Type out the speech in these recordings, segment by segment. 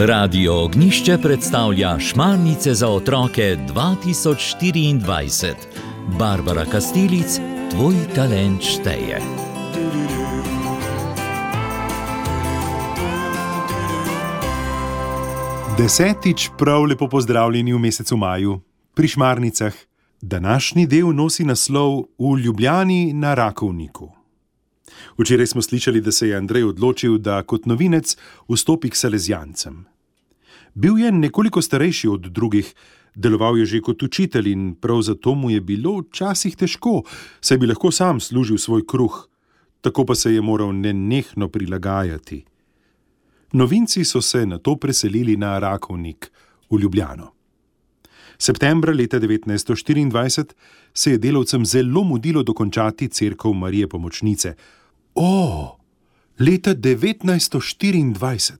Radio Ognjišče predstavlja Šmarnice za otroke 2024. Barbara Kastelic, tvoj talent šteje. Desetič prav lepo pozdravljeni v mesecu maju pri Šmarnicah. Današnji del nosi naslov V Ljubljani na Rakovniku. Včeraj smo slišali, da se je Andrej odločil, da kot novinec vstopi k salezijancem. Bil je nekoliko starejši od drugih, deloval je že kot učitelj in prav zato mu je bilo včasih težko, saj bi lahko sam služil svoj kruh, tako pa se je moral nenehno prilagajati. Novinci so se nato preselili na Rakovnik v Ljubljano. Septembra leta 1924 se je delavcem zelo mudilo dokončati cerkev Marije Pomočnice. Leta 1924.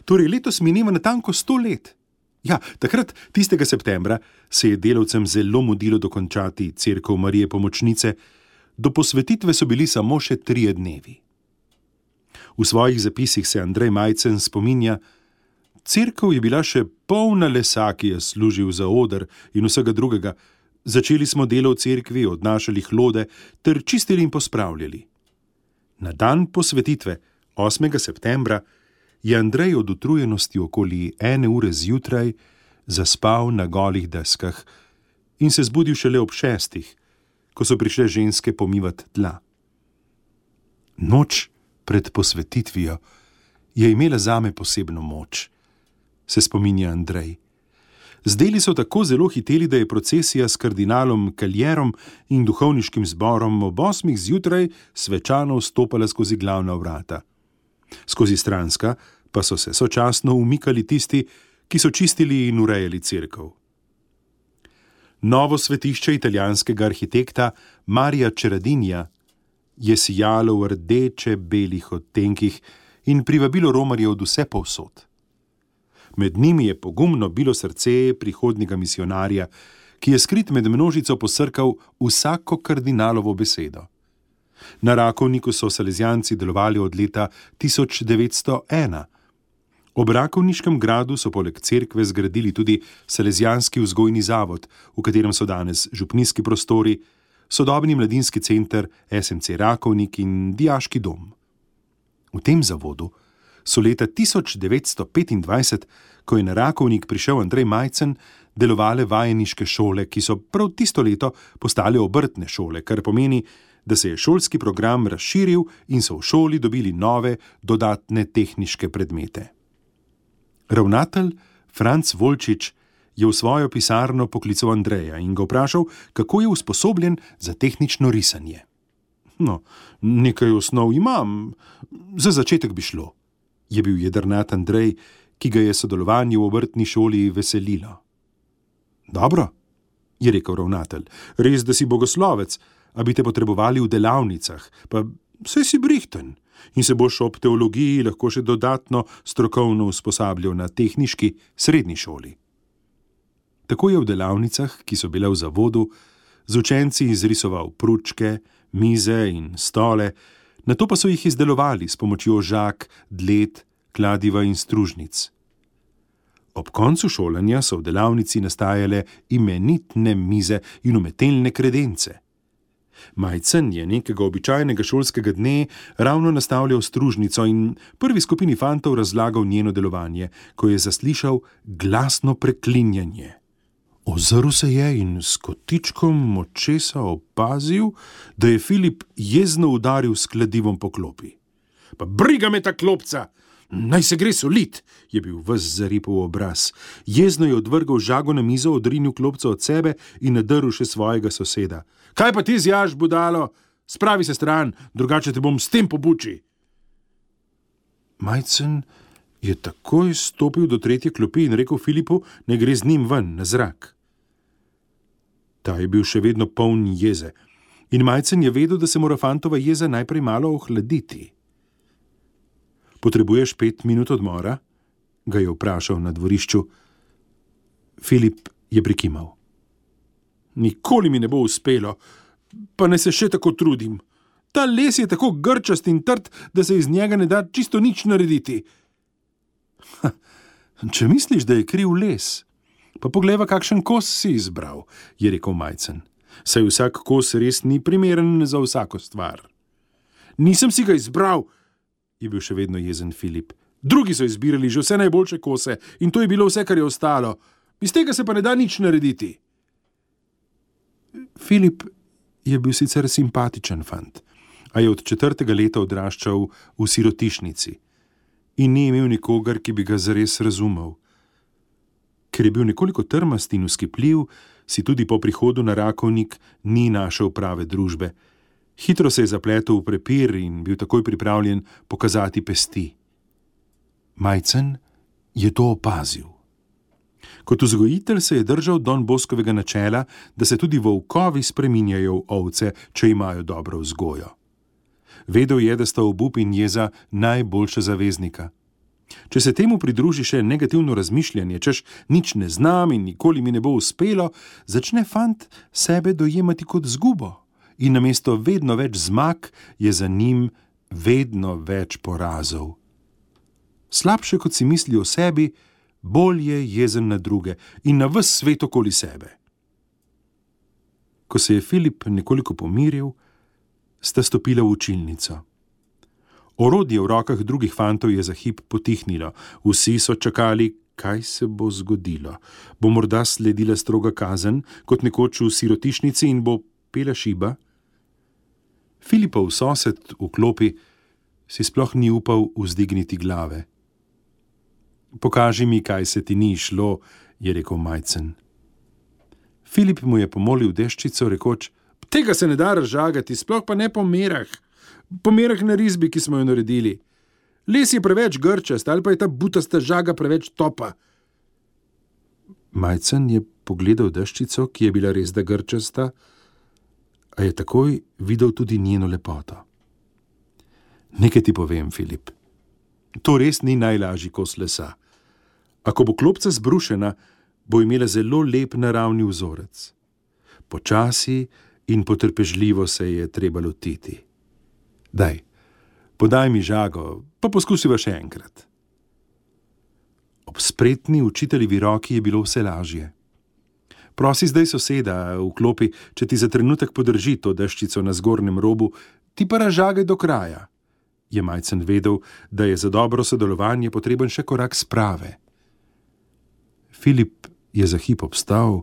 Torej letos mineva natanko 100 let. Ja, takrat, tistega septembra, se je delavcem zelo mudilo dokončati cerkev Marije Pomočnice. Do posvetitve so bili samo še 3 dnevi. V svojih zapisih se Andrej Majcen spominja: cerkev je bila še polna lesa, ki je služil za oder in vsega drugega. Začeli smo delo v cerkvi, odnašali hlode ter čistili in pospravljali. Na dan posvetitve, 8. septembra, je Andrej od utrujenosti okoli 1 ure zjutraj zaspal na golih deskah in se zbudil šele ob 6, ko so prišle ženske pomivati tla. Noč pred posvetitvijo je imela zame posebno moč, se spominja Andrej. Zdeli so tako zelo hiteli, da je procesija s kardinalom Kaljerom in duhovniškim zborom ob 8 zjutraj svečano vstopala skozi glavna vrata. Skozi stranska pa so se sočasno umikali tisti, ki so čistili in urejali cerkev. Novo svetišče italijanskega arhitekta Marija Čeradinja je sijalo v rdeče-belih odtenkih in privabilo romarje od vse povsod. Med njimi je pogumno bilo srce prihodnjega misionarja, ki je skrit med množico posrkal vsako kardinalovo besedo. Na Rakovniku so salezijanci delovali od leta 1901. Ob Rakovniškem gradu so poleg cerkve zgradili tudi salezijanski vzgojni zavod, v katerem so danes župnijski prostori, sodobni mladinski center SMC Rakovnik in dijaški dom. V tem zavodu so leta 1925, ko je na Rakovnik prišel Andrej Majcen, delovale vajeniške šole, ki so prav tisto leto postale obrtne šole, kar pomeni, da se je šolski program razširil in so v šoli dobili nove, dodatne tehniške predmete. Ravnatelj Franc Volčič je v svojo pisarno poklical Andreja in ga vprašal, kako je usposobljen za tehnično risanje. Nekaj osnov imam, za začetek bi šlo, je bil jedrnat Andrej, ki ga je sodelovanje v obrtni šoli veselilo. Dobro, je rekel ravnatelj, res, da si bogoslovec, a bi te potrebovali v delavnicah, pa saj si brihten in se boš ob teologiji lahko še dodatno strokovno usposabljal na tehniški srednji šoli. Tako je v delavnicah, ki so bile v zavodu, z učenci izrisoval pručke, mize in stole, nato pa so jih izdelovali s pomočjo žag, dled, kladiva in stružnic. Ob koncu šolanja so v delavnici nastajale imenitne mize in umetelne kredence. Majcen je nekega običajnega šolskega dne ravno nastavljal stružnico in prvi skupini fantov razlagal njeno delovanje, ko je zaslišal glasno preklinjanje. Ozrl se je in s kotičkom očesa opazil, da je Filip jezno udaril s kladivom po klopi. Pa briga me ta klopca! Naj se gre solit, je bil ves zaripov obraz. Jezno je odvrgal žago na mizo, odrinil klopco od sebe in nadrl še svojega soseda. Kaj pa ti zjaš, budalo? Spravi se stran, drugače te bom s tem pobuči. Majcen je takoj stopil do 3. klopi in rekel Filipu, ne gre z njim ven, na zrak. Ta je bil še vedno poln jeze in Majcen je vedel, da se mora fantova jeza najprej malo ohladiti. Potrebuješ 5 minut odmora? Ga je vprašal na dvorišču. Filip je prikimal. Nikoli mi ne bo uspelo, pa ne se še tako trudim. Ta les je tako grčast in trd, da se iz njega ne da čisto nič narediti. Če misliš, da je kriv les, pa poglejva, kakšen kos si izbral, je rekel Majcen. Saj vsak kos res ni primeren za vsako stvar. Nisem si ga izbral, je bil še vedno jezen Filip. Drugi so izbirali že vse najboljše kose in to je bilo vse, kar je ostalo. Iz tega se pa ne da nič narediti. Filip je bil sicer simpatičen fant, a je od 4. leta odraščal v sirotišnici in ni imel nikogar, ki bi ga zares razumel. Ker je bil nekoliko trmast in vzkipljiv, si tudi po prihodu na Rakovnik ni našel prave družbe. Hitro se je zapletel v prepir in bil takoj pripravljen pokazati pesti. Majcen je to opazil. Kot vzgojitelj se je držal Don Boskovega načela, da se tudi volkovi spreminjajo v ovce, če imajo dobro vzgojo. Vedel je, da sta obup in jeza najboljša zaveznika. Če se temu pridruži še negativno razmišljanje, češ nič ne znam in nikoli mi ne bo uspelo, začne fant sebe dojemati kot zgubo in namesto vedno več zmag je za njim vedno več porazov. Slabše, kot si misli o sebi, bolj je jezen na druge in na ves svet okoli sebe. Ko se je Filip nekoliko pomiril, sta stopila v učilnico. Orodje v rokah drugih fantov je za hip potihnilo. Vsi so čakali, kaj se bo zgodilo. Bo morda sledila stroga kazen, kot nekoč v sirotišnici in bo pela šiba? Filipov sosed v klopi si sploh ni upal vzdigniti glave. Pokaži mi, kaj se ti ni šlo, je rekel Majcen. Filip mu je pomolil deščico, rekoč, tega se ne da razžagati, sploh pa ne po merah. Po merah na risbi, ki smo jo naredili. Les je preveč grčast, ali pa je ta butasta žaga preveč topa. Majcen je pogledal deščico, ki je bila res da grčasta, a je takoj videl tudi njeno lepoto. Nekaj ti povem, Filip. To res ni najlažji kos lesa. Ako bo klopca zbrušena, bo imela zelo lep naravni vzorec. Počasi in potrpežljivo se je treba lotiti. Daj, podaj mi žago, pa poskusiva še enkrat. Ob spretni učiteljevi roki je bilo vse lažje. Prosi zdaj soseda v klopi, če ti za trenutek podrži to deščico na zgornjem robu, ti pa razžagaj do kraja. Je Majcen vedel, da je za dobro sodelovanje potreben še korak sprave. Filip je za hip obstal,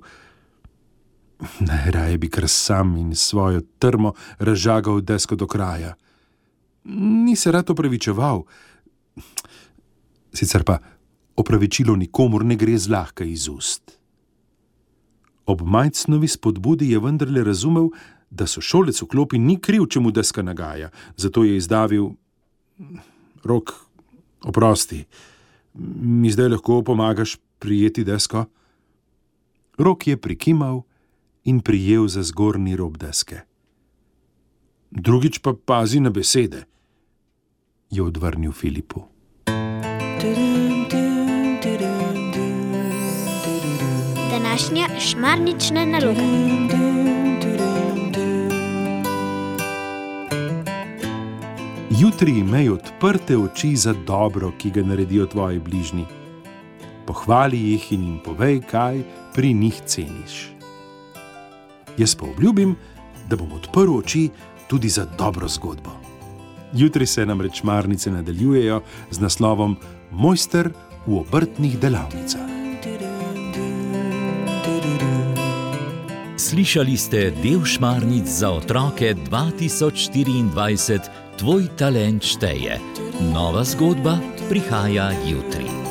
najraje bi kar sam in svojo trmo razžagal desko do kraja. Ni se rad opravičeval, sicer pa opravičilo nikomur ne gre zlahka iz ust. Ob Majcnovi spodbudi je vendarle razumel, da sošolec v klopi ni kriv, če mu deska nagaja, zato je izdavil: Rok, oprosti, mi zdaj lahko pomagaš prijeti desko? Rok je prikimal in prijel za zgornji rob deske. Drugič pa pazi na besede, je odvrnil Filipu. Današnja šmarnična naloga. Jutri imej odprte oči za dobro, ki ga naredijo tvoji bližnji. Pohvali jih in jim povej, kaj pri njih ceniš. Jaz pa obljubim, da bom odprl oči tudi za dobro zgodbo. Jutri se namreč šmarnice nadaljujejo z naslovom Mojster v obrtnih delavnicah. Slišali ste del Šmarnic za otroke 2024, Tvoj talent šteje. Nova zgodba prihaja jutri.